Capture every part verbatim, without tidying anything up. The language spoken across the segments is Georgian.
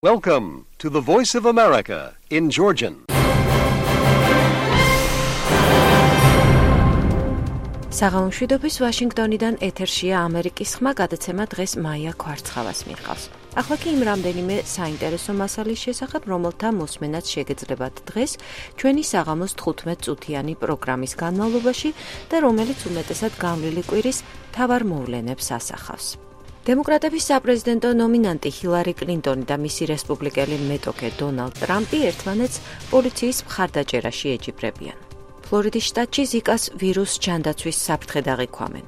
Welcome to the Voice of America in Georgian. საღამომშვიდობის ვაშინგტონიდან ეთერშია ამერიკის ხმა, გადაცემა დღეს მაია ქვარცხავას მიჰყავს. ახლა კი იმ რამდენიმე საინტერესო მასალის შესახებ, რომელთა მოსმენაც შეგეძლებათ დღეს ჩვენი საღამოს თხუთმეტ წუთიანი პროგრამის განმავლობაში და რომელიც უმეტესად გამვლელი კვირის მთავარ მოვლენებს ასახავს. დემოკრატების საპრეზიდენტო ნომინანტი ჰილარი კლინტონი და მისი რესპუბლიკელი მეტოქე დონალდ ტრამპი ერთმანეთს პოლიციის მხარდაჭერაში ეჯიბრებიან. ფლორიდის შტატში ზიკას ვირუს ჯანდაცვის საფრთხედ აღიქვამენ.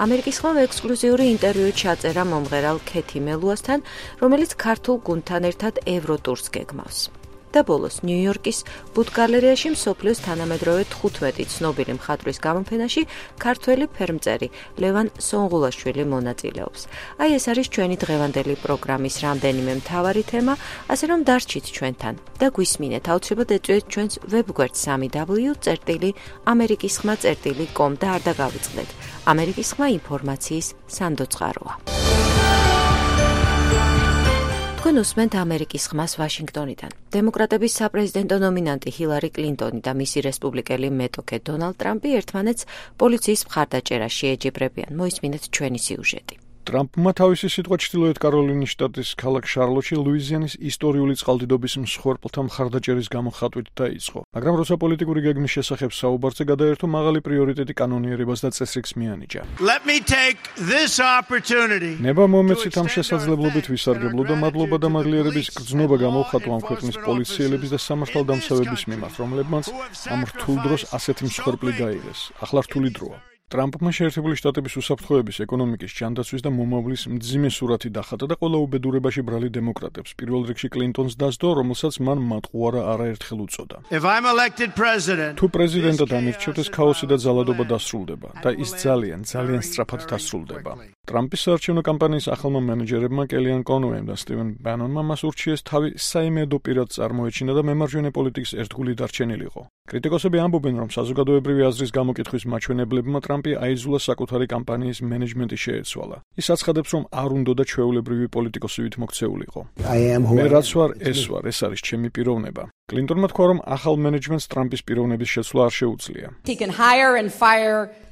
ამერიკის ხმამ ექსკლუზიური ინტერვიუ ჩაწერა მომღერალ ქეთი მელუასთან, რომელიც ქართულ გუნდთან ერთად ევროტურს გეგმავს. და ბოლოს ნიუ-იორკის ბუდგალერეაში მსოფლიოს თანამედროვე თხუთმეტი ცნობილი მხატვრის გამოფენაში ქართველი ფერმწერი ლევან სონღულაშვილი მონაწილეობს. აი ეს არის ჩვენი დღევანდელი პროგრამის რამდენიმე მთავარი თემა, ასე რომ დარჩით ჩვენთან და გვისმინეთ, აუცილებლად ეწვიეთ ჩვენს ვებგვერდს სამი დაბლიუ წერტილი ამერიკის ხმა წერტილი კომ და არ დაგავიწყდეთ. ამერიკის ხმა ინფორმაციის სანდოწყაროა. თქვენ უსმენთ ამერიკის ხმას ვაშინგტონიდან. დემოკრატების საპრეზიდენტო ნომინანტი ჰილარი კლინტონი და მისი რესპუბლიკელი მეტოქე დონალდ ტრამპი ერთმანეთს პოლიციის მხარდაჭერაში ეჯიბრებიან. მოისმინეთ ჩვენი სიუჟეტი. ტრამპმა თავისი სიტყვა ჩრდილოეთ კაროლინის შტატის ქალაქ შარლოტში ლუიზიანის ისტორიული წყალდიდობის მსხვერპლთა მხარდაჭერის გამოხატვით დაიწყო. მაგრამ როცა პოლიტიკური გეგმის შესახებ საუბარზე გადაერთო, მაღალი პრიორიტეტი კანონიერებას და წესრიგს მიანიჭა. ნება მომეცით ამ შესაძლებლობით ვისარგებლო და მადლობა და მადლიერების გრძნობა გამოვხატო ამ ქვეყნის პოლიციელების და სამართალდამცავების მიმართ, რომლებმაც ამ რთულ დროს ასეთი მსხვერპლი გაიღეს. ახლა რთული დროა. ტრამპმა შეერთებული შტატების უსაფრთხოების, ეკონომიკის, ჯანდაცვის და მომავლის მძიმე სურათი დახატა და ყველა უბედურებაში ბრალი დემოკრატებს, პირველ რიგში კლინტონს დასდო, რომელსაც მან მატყუარა არაერთხელ უწოდა. თუ პრეზიდენტად ამირჩევთ, ეს ქაოსი და ძალადობა დასრულდება და ის ძალიან, ძალიან სწრაფად დასრულდება. ტრამპის საარჩევნო კამპანიის ახალმა მენეჯერებმა კელიან კონუემ და სტივენ ბანონმა მას ურჩიეს თავი საიმედო პირად წარმოეჩინა და მემარჯვენე პოლიტიკის ერთგული დარჩენილიყო. კრიტიკოსები ამბობენ, რომ საზოგადოებრივი აზრის გამოკითხვის მაჩვენებლებმა ტრამპი აიძულა საკუთარი კამპანიის მენეჯმენტი შეეცვალა. ის აცხადებს, რომ არ უნდოდა ჩვეულებრივი პოლიტიკოსივით მოქცეულიყო. მე რაც ვარ, ეს ვარ, ეს არის ჩემი პიროვნება. კლინტონმა თქვა, რომ ახალ მენეჯმენტს ტრამპის პიროვნების შეცვლა არ შეუძლია.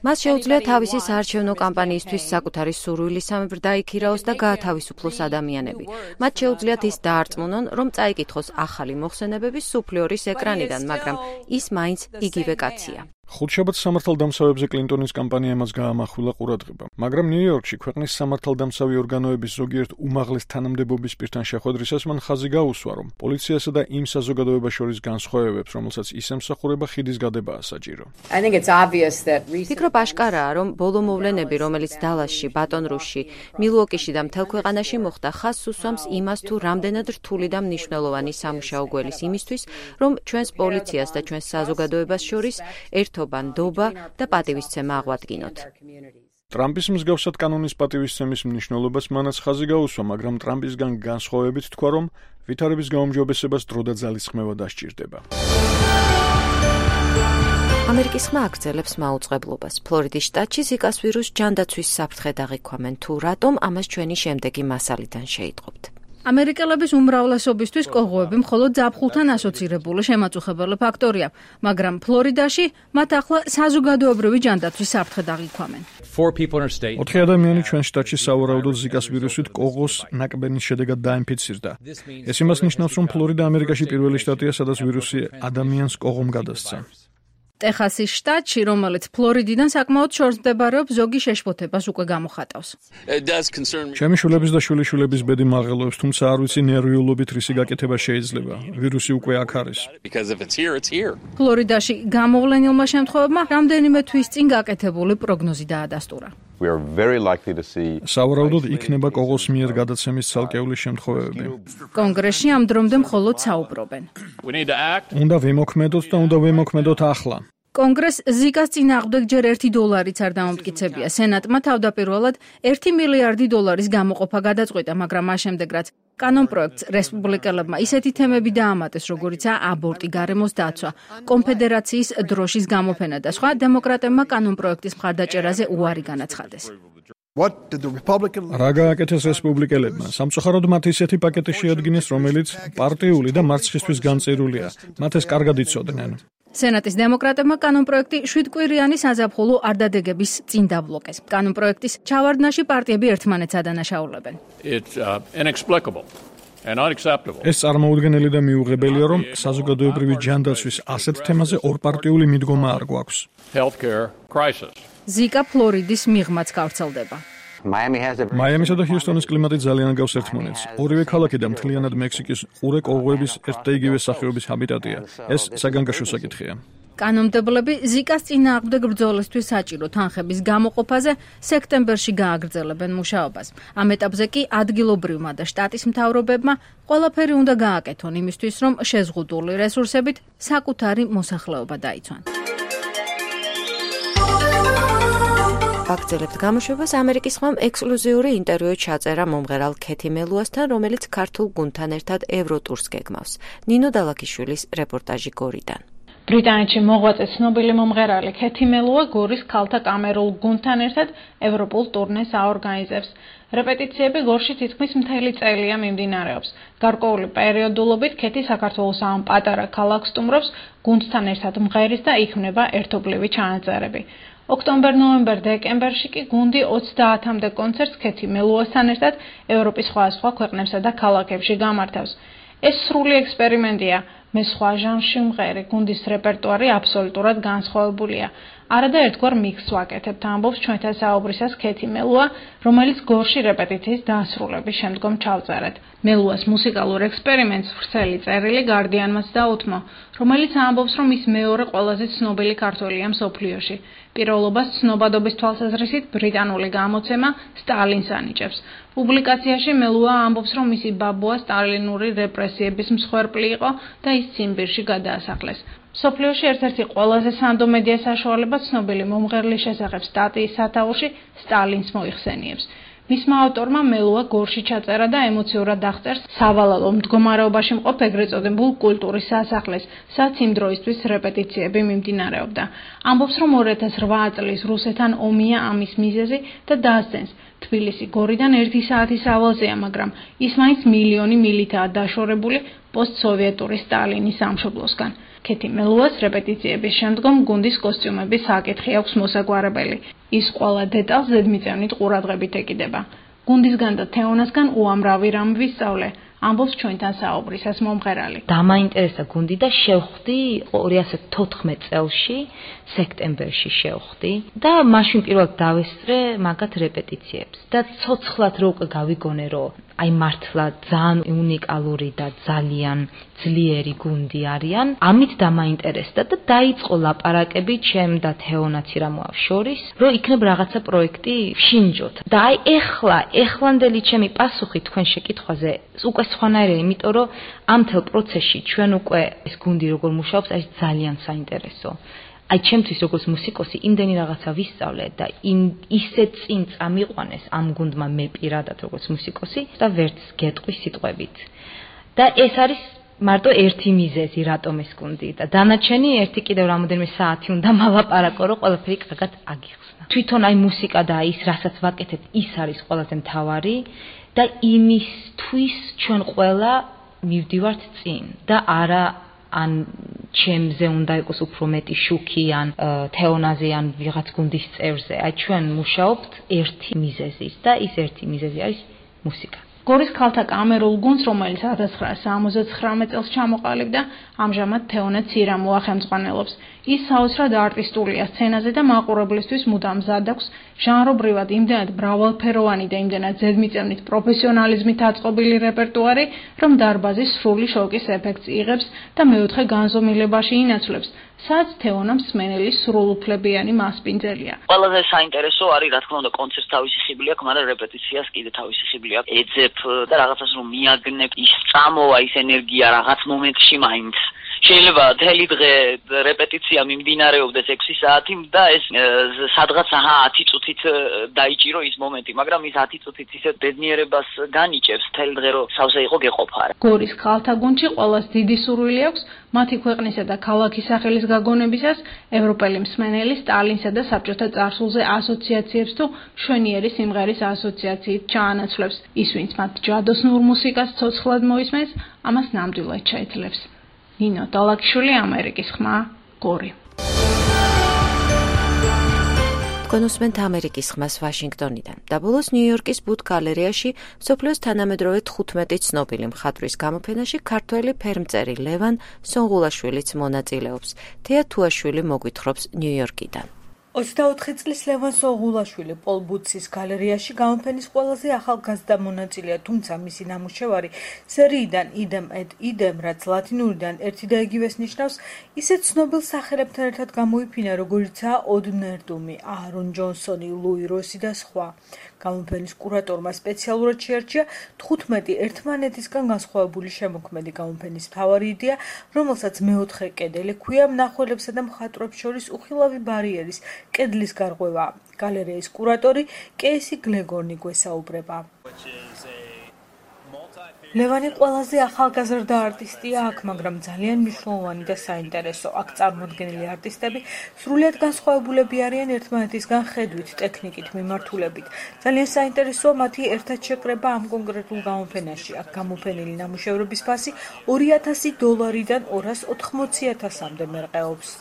მას შეუძლია თავისი საარჩევნო კამპანიისთვის საკუთარი სურვილისამებრ დაიქირაოს და გაათავისუფლოს ადამიანები. მათ შეუძლიათ ის დაარწმუნონ, რომ წაიკითხოს ახალი მოხსენებები სუფლიორის ეკრანიდან, მაგრამ ის მაინც იგივე კაცია. ხუთშაბათს სამართალდამცავებზე კლინტონის კამპანია მას გაამახვილა ყურადღება, მაგრამ ნიუ-იორკში ქვეყნის სამართალდამცავი ორგანოების ზოგიერთ უმაღლეს თანამდებობის პირთან შეხვედრისას მან ხაზი გაუსვა, რომ პოლიციასა და იმ საზოგადოებას შორის განსხვავებებს, რომელსაც ის ემსახურება, ხიდის გადებაა საჭირო. ვფიქრობ აშკარაა, რომ ბოლო მოვლენები, რომელიც დალასში, ბატონ-რუსში, მილუოკიში და მთელ ქვეყანაში მოხდა, ხაზს უსვამს იმას, თუ რამდენად რთული და მნიშვნელოვანი სამუშაო გველის იმისთვის, რომ ჩვენს პოლიციას და ჩვენს საზოგადოებას შორის ერთობა, ნდობა და პატივისცემა აღვადგინოთ. ტრამპის მსგავსად კანონის პატივისცემის მნიშვნელობას მანაც ხაზი გაუსვა, მაგრამ ტრამპისგან განსხვავებით თქვა, რომ ვითარების გაუმჯობესებას დრო და ძალისხმევა დასჭირდება. ამერიკის ხმა აგრძელებს მაუწყებლობას. ფლორიდის შტატში ზიკას ვირუს ჯანდაცვის საფრთხედ აღიქვამენ. თუ რატომ, ამას ჩვენი შემდეგი მასალიდან შეიტყობთ. ამერიკელების უმრავლესობისთვის კოღოები მხოლოდ ზაფხულთან ასოცირებული შემაწუხებელი ფაქტორია, მაგრამ ფლორიდაში მათ ახლა საზოგადოებრივი ჯანდაცვის საფრთხედ აღიქვამენ. ოთხი ადამიანი ჩვენ შტატში სავარაუდოდ ზიკას ვირუსით კოღოს ნაკბენის შედეგად დაინფიცირდა. ეს იმას ნიშნავს, რომ ფლორიდა ამერიკაში პირველი შტატია, სადაც ვირუსი ადამიანს კოღომ გადასცა. ტეხასის შტატში, რომელიც ფლორიდიდან საკმაოდ შორს მდებარეობს, ზოგი შეშფოთებას უკვე გამოხატავს. ჩემი შვილების და შვილიშვილების ბედი მაღელოებს, თუმცა არ ვიცი ნერვიულობით რისი გაკეთება შეიძლება. ვირუსი უკვე აქ არის. ფლორიდაში გამოვლენილმა შემთხვევებმა რამდენიმე თვის წინ გაკეთებული პროგნოზი დაადასტურა. სავარაუდოდ იქნება კოღოს მიერ გადაცემის ცალკეული შემთხვევები. კონგრესში ამ დრომდე მხოლოდ საუბრობენ. უნდა ვიმოქმედოთ და უნდა ვიმოქმედოთ ახლა. კონგრესს ზიკას წინააღმდეგ ჯერ ერთი დოლარიც არ დამამტკიცებია. სენატმა თავდაპირველად ერთი მილიარდი დოლარის გამოყოფა გადაწყვიტა, მაგრამ მას შემდეგ რაც კანონპროექტს რესპუბლიკელებმა ისეთი თემები დაამატეს, როგორიცაა აბორტი, გარემოს დაცვა, კონფედერაციის დროშის გამოფენა და სხვა, დემოკრატებმა კანონპროექტის მხარდაჭერაზე უარი განაცხადეს. What did the Republican რა გააკეთეს რესპუბლიკელებმა? სამწუხაროდ მათ ისეთი პაკეტი შეადგინეს, რომელიც პარტიული და მარცხისთვის განწირულია. მათ ეს კარგად იცოდნენ. სენატის დემოკრატებმა კანონპროექტი შვიდკვირიანი საზაფხულო არ დადგების წინ დაბლოკეს. კანონპროექტის ჩავარდნაში პარტიები ერთმანეთს ადანაშაულებენ. It's uh, inexplicable and unacceptable. ეს წარმოუდგენელი და მიუღებელია, რომ საზოგადოებრივი ჯანდაცვის ასეთ თემაზე ორპარტიული მიდგომა არ გვაქვს. Healthcare crisis. ზიკა ფლორიდის მიღმაც გავრცელდება. მაიამისა და ჰიუსტონის კლიმატი ძალიან გავს ერთმანეთს. ორივე ქალაქი და მთლიანად მექსიკის ყურე კოღოების ერთ და იგივე სახეობის ჰაბიტატია. ეს საგანგაშო საკითხია. კანონმდებლები ზიკას წინააღმდეგ ბრძოლისთვის საჭირო თანხების გამოყოფაზე სექტემბერში გააგრძელებენ მუშაობას. ამ ეტაპზე კი ადგილობრივმა და შტატის მთავრობებმა ყველაფერი უნდა გააკეთონ იმისთვის, რომ შეზღუდული რესურსებით საკუთარი მოსახლეობა დაიცვან. აგრძელებთ გამოშვებას ამერიკის ხმამ ექსკლუზიური ინტერვიუ ჩაწერა მომღერალ ქეთი მელუასთან, რომელიც ქართულ გუნდთან ერთად ევროტურს გეგმავს. ნინო დალაქიშვილის რეპორტაჟი გორიდან. ბრიტანეთში მოღვაწე ცნობილი მომღერალი ქეთი მელუა გორის ქალთა კამერულ გუნდთან ერთად ევროპულ ტურნეს აორგანიზებს. რეპეტიციები გორში თითქმის მთელი წელია მიმდინარეობს. გარკვეული პერიოდულობით ქეთი საქართველოს ამ პატარა ქალაქს სტუმრობს გუნდთან ერთად მღერის და იქმნება ერთობლივი ჩანაწერები. ოქტომბერ, ნოემბერ, დეკემბერში კი გუნდი ოცდაათამდე კონცერტს ქეთი მელუასთან ერთად ევროპის სხვადასხვა ქვეყნებსა და ქალაქებში გამართავს. ეს სრული ექსპერიმენტია. მე სხვა ჟანრში მღერი, გუნდის რეპერტუარი აბსოლუტურად განსხვავებულია. არადა ერთგვარ მიქსს ვაკეთებთ, ამბობს ჩვენთან საუბრისას ქეთი მელუა, რომელიც გორში რეპეტიციის დასრულების შემდგომ ჩავწერეთ. მელუას მუსიკალურ ექსპერიმენტს ვრცელი წერილი გარდიანმაც დაუთმო, რომელიც ამბობს, რომ ის მეორე ყველაზე ცნობილი ქართველია მსოფლიოში. პირველობას ცნობადობის თვალსაზრისით ბრიტანული გამოცემა სტალინს ანიჭებს. პუბლიკაციაში მელუა ამბობს, რომ მისი ბაბუა სტალინური რეპრესიების მსხვერპლი იყო და ის ციმბირში გადაასახლეს. მსოფლიოში ერთ-ერთი ყველაზე სანდო მედია საშუალება ცნობილი მომღერლის შესახებ სტატიის სათაურში სტალინს მოიხსენიებს. მისმა ავტორმა მელუა გორში ჩაწერა და ემოციურად აღწერს სავალალო მდგომარეობაში მყოფ ეგრეთ წოდებულ კულტურის სასახლეს, სადაც იმ დროისთვის რეპეტიციები მიმდინარეობდა. ამბობს, რომ ორი ათას რვა წლის რუსეთთან ომია ამის მიზეზი და დასძენს. თბილისი გორიდან ერთი საათის ავალზეა, მაგრამ ის მაინც მილიონი მილითაა დაშორებული პოსტსოვიეტური სტალინის სამშობლოსგან. ქეთი მელუას რეპეტიციების შემდგომ გუნდის კოსტიუმების საკითხი აქვს მოსაგვარებელი. ის ყველა დეტალს ზედმიწევნით ყურადღებით ეკიდება. გუნდისგან და თეონასგან უამრავი რამ ვისწავლე, ამბობს ჩვენთან საუბრისას მომღერალი. დამაინტერესა გუნდი და შევხვდი ორი ათას თოთხმეტ წელში, სექტემბერში შევხვდი და მაშინ პირველად დავესწრე მაგათ რეპეტიციებს და ცოცხლად რო უკვე გავიგონე, რომ აი მართლა ძალიან უნიკალური და ძალიან ძლიერი გუნდი არიან. ამით დამაინტერესდა და დაიწყო ლაპარაკები ჩემ და თეონაცირამოავ შორის, რომ იქნებ რაღაცა პროექტი შინჯოთ. და აი ეხლა, ეხლანდელი ჩემი პასუხი თქვენ შეკითხვაზე უკვე სხვანაირია, იმიტომ რომ ამ თელ პროცესში ჩვენ უკვე ეს გუნდი როგორ მუშაობს, არის ძალიან საინტერესო. აი ჩემთვის როგორც მუსიკოსი იმდენი რაღაცა ვისწავლე და იმ ისე წინ წამიყვანეს ამ გუნდმა მე პირადად როგორც მუსიკოსი და ვერც გეტყვი სიტყვებით. და ეს არის მარტო ერთი მიზეზი, რატომ ეს გუნდი და დანარჩენი ერთი კიდევ რამოდენიმე საათი უნდა მალაპარაკო, რომ ყველაფერი კარგად აგიხსნა. თვითონ აი მუსიკა და ის რასაც ვაკეთებ, ის არის ყველაზე მთავარი და იმისთვის ჩვენ ყველა მივდივართ წინ და არა ან ჩემზე უნდა იყოს უფრო მეტი შუქი ან თეონაზე ან ვიღაც გუნდის წევრზე. აი ჩვენ მუშაობთ ერთი მიზეზის და ის ერთი მიზეზი არის მუსიკა. გორის ქალთა კამერულ გუნდს, რომელიც ათას ცხრაასა სამოცდათხრამეტ წელს ჩამოყალიბდა, ამჟამად თეონა ცირამოა ხელმძღვანელობს. ის საოცრად არტისტულია სცენაზე და მაყურებლისთვის მუდამ მზად აქვს ჟანრობრივად იმდენად მრავალფეროვანი და იმდენად ზედმიწევნით პროფესიონალიზმით აწყობილი რეპერტუარი, რომ დარბაზის სრული შოკის ეფექტს იღებს და მეოთხე განზომილებაში ინაცვლებს, სადაც თეონა მსმენელის სრულუფლებიანი მასპინძელია. ყველაზე საინტერესო არის, რა თქმა უნდა, კონცერტს თავისი ხიბლი აქვს, მაგრამ რეპეტიციას კიდე თავისი ხიბლი აქვს. ეძებ და რაღაცას რომ მიაგნებ, ის წამოვა ის ენერგია რაღაც მომენტში მაინც. შეიძლება თელი დღე რეპეტიცია მიმდინარეობდეს ექვსი საათი და ეს სადღაც აჰა ათი წუთით დაიჭირო ის მომენტი, მაგრამ ის ათი წუთით ისეთ ბედნიერებას განიჭებს თელი დღე რომ სავსე იყო გეყოფა. გორის ქალთა გუნდში ყველას დიდი სურვილი აქვს მათი ქვეყნისა და ქალაქის სახელის გაგონებისას, ევროპელი მსმენელი სტალინსა და საბჭოთა წარსულზე ასოციაციებს თუ მშვენიერი სიმღერის ასოციაციით ჩაანაცვლებს. ის, ვინც მათ ჯადოსნურ მუსიკას ცოცხლად მოისმენს, ამას ნამდვილად შეეძლებს. ნინო დალაკიშვილი, ამერიკის ხმა, გორი. კონუსმენთ ამერიკის ხმას ვაშინგტონიდან. და ბოლოს ნიუ-იორკის ბუდ გალერეაში მსოფლიოს თანამედროვე თხუთმეტი ცნობილი მხატვრის გამოფენაში ქართველი ფერმწერი ლევან სონღულაშვილიც მონაწილეობს. თეა თუაშვილი მოგვითხრობს ნიუ-იორკიდან. ოცდაოთხი წლის ლევან სონღულაშვილი პოლ ბუცის გალერეაში გამოფენის ყველაზე ახალგაზრდა მონაწილეა, თუმცა მისი ნამუშევარი სერიიდან idem et idem, რაც ლათინურიდან ერთი და იგივეს ნიშნავს, ისეთ ცნობილ სახელებთან ერთად გამოიფინა, როგორიცაა ოდ ნერდუმი, აარონ ჯონსონი, ლუი როსი და სხვა. გამოფენის კურატორმა სპეციალურად შეარჩია თხუთმეტი ერთმანეთისგან განსხვავებული შემოქმედი გამოფენის მთავარი იდეა, რომელსაც მეოთხე კედელი ჰქვია მნახველებსა და მხატვრებს შორის უხილავი ბარიერის კედლის გარღვევა. გალერეის კურატორი კეისი გლეგორნი გვესაუბრება. ლევანი ყველაზე ახალგაზრდა არტისტია აქ, მაგრამ ძალიან მნიშვნელოვანი და საინტერესო. აქ წარმოდგენილი არტისტები სრულიად განსხვავებულები არიან ერთმანეთისგან ხედვით, ტექნიკით, მიმართულებით. ძალიან საინტერესოა მათი ერთად შეკრება ამ კონკრეტულ გამოფენაში. აქ გამოფენილი ნამუშევრების ფასი ორი ათასი დოლარიდან ორას ოთხმოცი ათასამდე მერყეობს.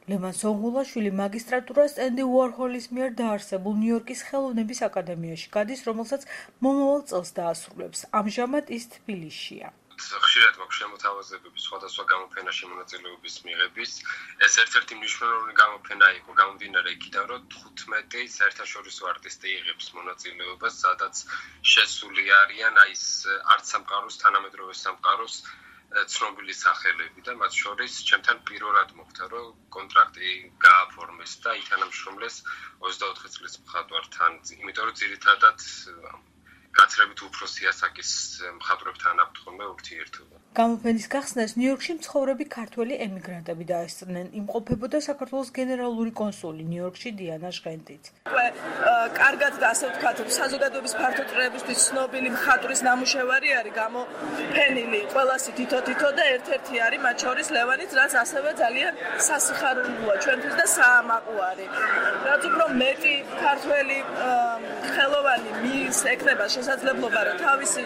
ლევან სონღულაშვილი მაგისტრატურას ენდი უორჰოლის მიერ დაარსებულ ნიუ-იორკის ხელოვნების აკადემიაში გადის, რომელსაც მომავალ წელს დაასრულებს. ამჟამად ის თბილისშია. ხშირად მაქვს შემოთავაზებები სხვადასხვა გამოფენაში მონაწილეობის მიღების. ეს ერთ-ერთი მნიშვნელოვანი გამოფენა იყო გამომდინარე იქიდან, რომ თხუთმეტი საერთაშორისო არტისტი იღებს მონაწილეობას, სადაც შესული არიან აი ეს არც სამყაროს, თანამედროვე სამყაროს ცნობილი სახელები და მათ შორის ჩემთან პირველად მოხდა, რომ კონტრაქტი გააფორმეს და ითანამშრომლეს ოცდაოთხი წლის მხატვართან, იმიტომ რომ ძირითადად გაცრებით უფროსი ასაკის მხატვრებთან აქვთ ხოლმე ურთიერთობა. გამოფენის გახსნას ნიუ-იორკში მცხოვრები ქართველი ემიგრანტები დაესწრნენ. იმყოფებოდა საქართველოს გენერალური კონსული ნიუ-იორკში დიანა ჟღენტიც. კარგად და ასე ვთქვათ, საზოგადოების ფართოწრეებისთვის ცნობილი მხატვრის ნამუშევარი არის გამოფენილი ყველასი თითო-თითო და ერთ-ერთი არის მათ შორის ლევანიც, რაც ასევე ძალიან სასიხარულოა ჩვენთვის და საამაყო არის. რაც უფრო მეტი ქართველი ხელოვანი მის ექნება შესაძლებლობა, რომ თავისი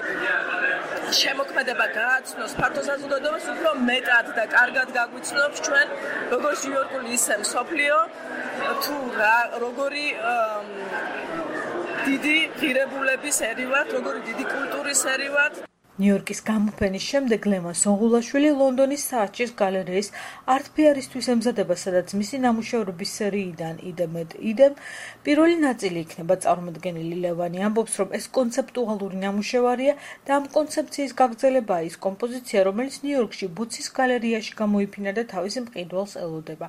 შემოქმედება გააცნოს ფართო საზოგადოებას, უფრო მეტად და კარგად გაგვიცნობს ჩვენ როგორც ნიუ-იორკული ისე მსოფლიო, თუ როგორი დიდი ღირებულების ერი ვართ, როგორი დიდი კულტურის ერი ვართ. ნიუ-იორკის გამოფენის შემდეგ ლევან სონღულაშვილი ლონდონის საარჩის გალერეის არტფეარისთვის ემზადება, სადაც მისი ნამუშევრების სერიიდან idem et idem პირველი ნაწილი იქნება წარმოდგენილი. ლევანი ამბობს, რომ ეს კონცეპტუალური ნამუშევარია და ამ კონცეფციის გაგრძელებაა ის კომპოზიცია, რომელიც ნიუ-იორკში ბუცის გალერეაში გამოიფინა და თავის მყიდველს ელოდება.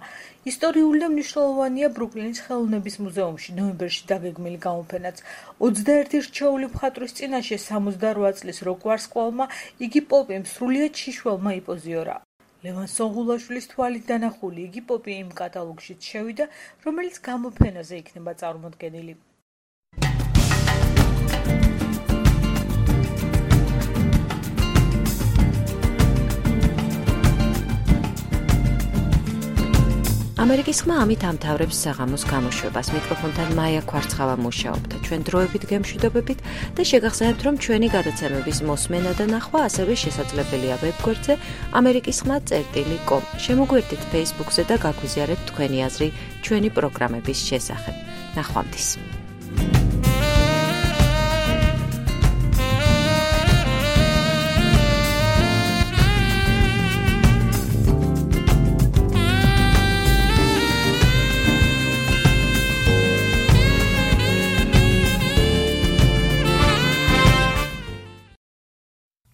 ისტორიული და მნიშვნელოვანია ბრუკლინის ხელოვნების მუზეუმში ნოემბერში დაგეგმილი გამოფენაც. ოცდაერთი რჩეული მხატვრის წინაშე სამოცდარვა წლის როკ ვარსკვლავმა იგი პოპიმ სრულიად შიშველმა იპოზიორა. ლევან სონღულაშვილის თვალით დანახული იგი პოპი იმ კატალოგშიც შევიდა, რომელიც გამოფენაზე იქნება წარმოდგენილი. ამერიკის ხმა ამით ამთავრებს საღამოს გამოშვებას. მიკროფონთან მაია კვარცხავა მუშაობდა. ჩვენ დროებით გემშვიდობებით და შეგახსენებთ, რომ ჩვენი გადაცემების მოსმენა და ნახვა ასევე შესაძლებელია ვებგვერდზე ამერიკის ხმა წერტილი კომ. შემოგვერთით Facebook-ზე და გაგვიზიარეთ თქვენი აზრი ჩვენი პროგრამების შესახებ. ნახვამდის.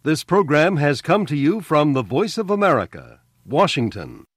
This program has come to you from the Voice of America, Washington.